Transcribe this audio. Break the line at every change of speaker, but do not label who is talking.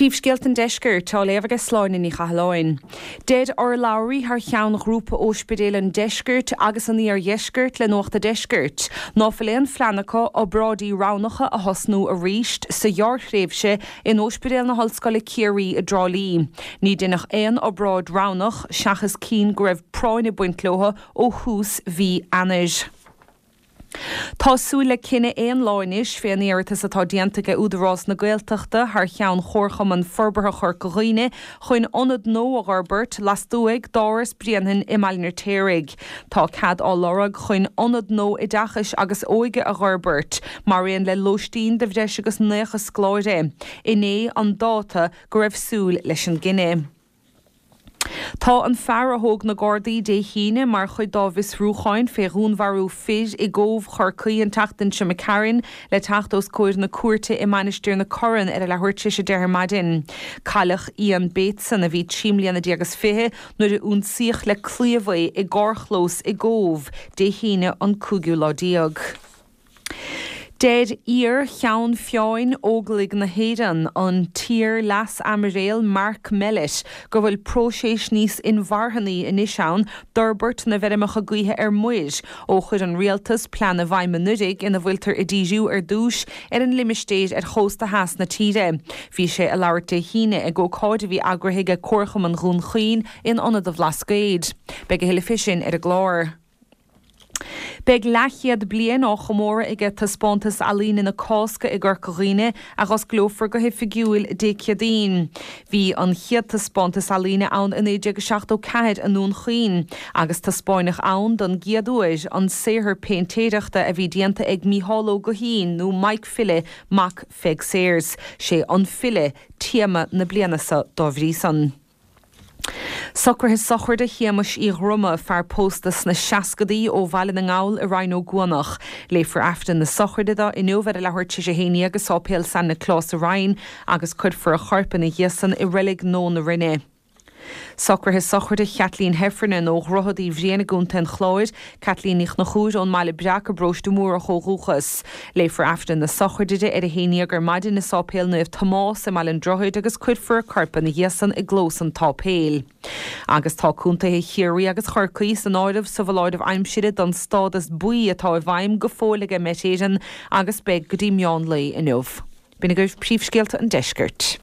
Príomhscéalta an Deiscirt á léamh aige Sláine Ní Chathalláin. Deir urlabhraí thar cheann Ghrúpa Óispidéil an Deiscirt agus an Iardheiscirt le Nuacht a' Deiscirt ná fuil aon phlean acu obráidí roghnacha a thosnú arís sa ghearrthréimhse in Óispidéal na hOllscoile Ciarraí i dTrá Lí. Ní deineadh aon obráid roghnach seachas cinn go raibh práinn ag baint leo ó thús mhí Eanáir. Tá súil le cinneadh aon lá anois fén iarratas atá déanta aige Údarás na Gaeltachta thar cheann Chomharchumann Forbartha Chorca Dhuibhne chun ionad nua a dh'fhorbairt lastuaidh d'Áras Bhréanainn i mBaile an Fheirtéaraigh. Tá cead á lorg chun ionad nua oideachais agus óige a dh'fhorbairt, maraon le lóistín do bhreis agus 90 scoláire. Inné an dáta go raibh súil leis an gcinneadh. Tá an fear a thóg na Gardaí Dé hAoine mar chuid dá bhfiosrúcháin fé dhúnmharú fir i gCóbh Chorcaí an tseachtain seo imigh tharainn le teacht os comhair na cúirte i Mainistir na Corann ar a leathuair tar éis 10 ar maidin. Cailleadh Ian Bateson, a bhí 13 mbliana is 20, nuair a ionsaíodh le claíomh é i gcarrchlós i gCóbh Dé hAoine an cúigiú lá déag. Deir iar-Cheann Feadhain Óglaigh na hÉireann, an t-iar-Leas-Aimiréal Mark Mellett, go bhfuil próiseas níos inmharthanaí anois ann d'fhorbairt na bhfeirmeacha gaoithe ar muir, ó chuir an Rialtas plean i bhfeidhm anuiridh ina bhfuiltear ag díriú ar dtús ar an limistéir ar chósta theas na tíre. Bhí sé ag labhairt Dé hAoine ag ócáid a bhí eagraithe ag Comharchumann Dhún Chaoin in Ionad an Bhlascaoid. Beidh a thuilleadh fé sin ar an gclár. Beidh leathchéad bliain á chomóradh aige Taispeántas Ealaíne na Cásca i gCorca Dhuibhne, a dh'osclófar go hoifigiúil Dé Céadaoin. Bhí an chéad taispeántas ealaíne ann i 1974 i nDún Chaoin, agus taispeáineadh ann don gcéad uair an saothar péintéireachta a bhí déanta ag Mícheál Ó Guithín nó Mike Philly mac Pheig Sayers. Sé An File téama na bliana seo dá bhrí san. Socruithe sochraide Shéamais Uí Dhroma, fear pósta sna seascadaí ó Bhaile na nGall i Rinn Ó gCuanach. Léifear Aifreann na sochraide dó inniu ar a leathuair tar éis 11 i Sáipéal San Nioclás sa Rinn agus cuirfear a chorp ina dhiaidh san i Reilig Nua na Rinne. Socruithe sochraide Chaitlín Heffernan ó Dhroichead Uí Bhriain i gContae an Chláir, Caitlín Ní Chonchúir ón mBaile Breac i bParóiste Mhúrach ó dhúchas. Léifear Aifreann na sochraide di ar a haon dhéag ar maidin i Sáipéal Naomh Tomás i mBaile an Droichid agus cuirfear a corp ina dhiaidh san i gclós an tsáipéil. Agus tá contaetha Chiarraí agus Chorcaí san áireamh sa bhfoláireamh aimsire don stádas buí atá i bhfeidhm go fóill aige Met Éireann agus beidh go dtí meán lae inniu. B'in agaibh príomhscéalta an deiscirt.